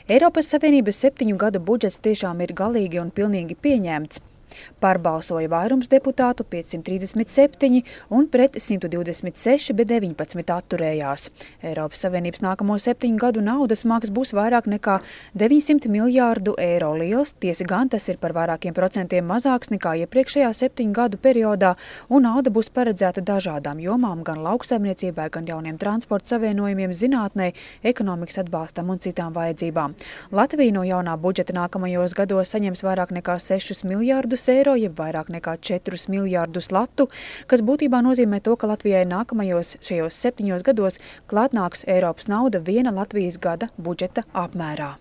Eiropas Savienības 7 gadu budžets tiešām ir galīgi un pilnīgi pieņemts. Pārbalsoja vairums deputātu 537 un pret 126, bet 19 atturējās. Eiropas Savienības nākamo 7 gadu naudas maks būs vairāk nekā 900 miljārdu eiro liels, tiesa gan tas ir par vairākiem procentiem mazāks nekā iepriekšējā 7 gadu periodā, un nauda būs paredzēta dažādām jomām, gan lauksaimniecībai, gan jauniem transporta savienojumiem, zinātnei, ekonomikas atbalstam un citām vajadzībām. Latvija no jaunā budžeta nākamajos gados saņems vairāk nekā 6 miljārdus eiro, jeb vairāk nekā 4 miljārdus latu, kas būtībā nozīmē to, ka Latvijai nākamajos šajos 7 gados klāt nāks Eiropas nauda viena Latvijas gada budžeta apmērā.